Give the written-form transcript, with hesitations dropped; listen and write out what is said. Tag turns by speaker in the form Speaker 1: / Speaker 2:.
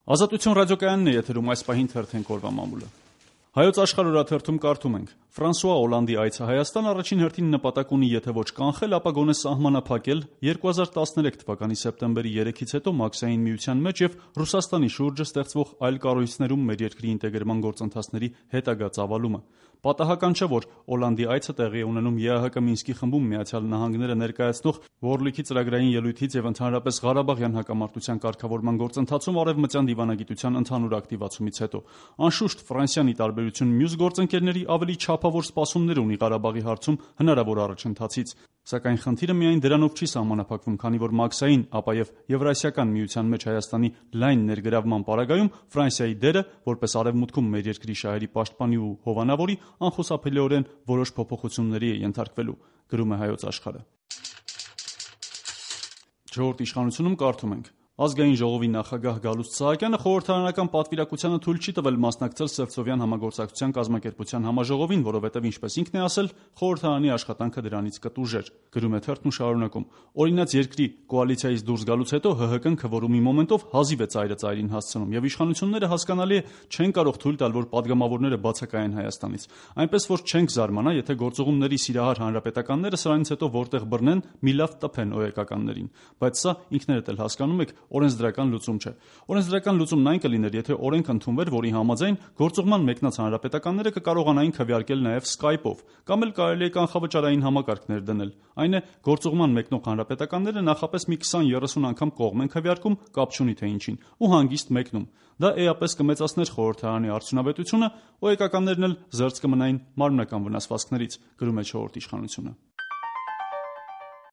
Speaker 1: Ազատություն ռադիոկայանն է եթերում այս պահին թերթենք օրվա մամուլը։ Հայոց աշխարհ օրաթերթում կարդում ենք. Ֆրանսուଆ Օլանդի այցը Հայաստան առաջին հերթին նպատակ ունի եթե ոչ կանխել, ապա գոնե սահմանափակել 2013 թվականի սեպտեմբերի 3-ից հետո Մաքսային միության մեջ եւ Ռուսաստանի շուրջը ստեղծվող այլ կառույցներում մեր երկրի ինտեգրման գործընթացների հետագա ծավալումը։ Պատահական չէ, որ Օլանդի այցը տեղի է ունենում ԵԱՀԿ Մինսկի խմբում Միացյալ Նահանգները ներկայացնող Որլիքի ծրագրային ելույթից եւ ընդհանրապես Ղարաբաղյան հակամարտության կարգավորման գործընթացում արևմտյան դիվանագիտության ընդհանուր ակտիվացումից հետո։ Անշուշտ Ֆրանսիան ի տարբերություն մյուս գործընկերների ավելի չափավոր սպասումներ ունի Ղարաբաղի հարցում հնարավոր առաջընթացից, սակայն խնդիրը միայն դրանով չի սահմանափակվում, քանի որ Մաքսային, ապա եւ Եվրասիական միության մեջ Հայաստանի լայն ներգրավման պարագայում Ֆրանսիայի դերը, որպես արևմուտքում մեր երկրի շահերի պաշտպանի ու հովանավորի, անխուսափելիորեն որոշ փոփոխությունների է ենթարկվելու, գրում է Հայոց աշխարհը։ Չորրորդ իշխանությունում կարդում ենք. Ազգային ժողովի նախագահ Գալուստ Սահակյանը խորհրդարանական պատվիրակությանը թույլ չի տվել մասնակցել Սևծովյան համագործակցության կազմակերպության համաժողովին, որովհետև ինչպես ինքն է ասել, խորհրդարանի աշխատանքը դրանից կտուժեր, գրում է թերթն ու շարունակում. Օրինաց երկրի կոալիցիայից դուրս գալուց հետո ՀՀԿ-ն քվորումի մոմենտով հազիվ է ծայրը ծայրին հասցնում, եւ իշխանությունները հասկանալի է չեն կարող թույլ տալ, որ падգամավորները բացակայեն Հայաստանից, այնպես որ չենք զարմանա, եթե գործողումների սիրահար հանրապետականները սրանից հետո որտեղ բռնեն, մի լավ տփեն օեկականներին, բայց սա ինքներդ էլ հասկանում եք օրենսդրական լուծում չէ։ Օրենսդրական լուծումն այն կլիներ, եթե օրենք ընդունվեր, որի համաձայն գործողման մեկնած հանրապետականները կկարողանային քվեարկել նաև Skype-ով, կամ էլ կարելի է կանխավճարային համակարգ ներդնել։ Այն է, գործողման մեկնող հանրապետականները նախապես մի 20-30 անգամ կողմ են քվեարկում, կապ չունի թե ինչին, ու հանգիստ մեկնում։ Դա էապես կմեծացներ խորհրդարանի արդյունավետությունը, օեկականներն էլ զերծ կմնային մարմնական վնասվածքներից, գրում է չորրորդ իշխանությունը։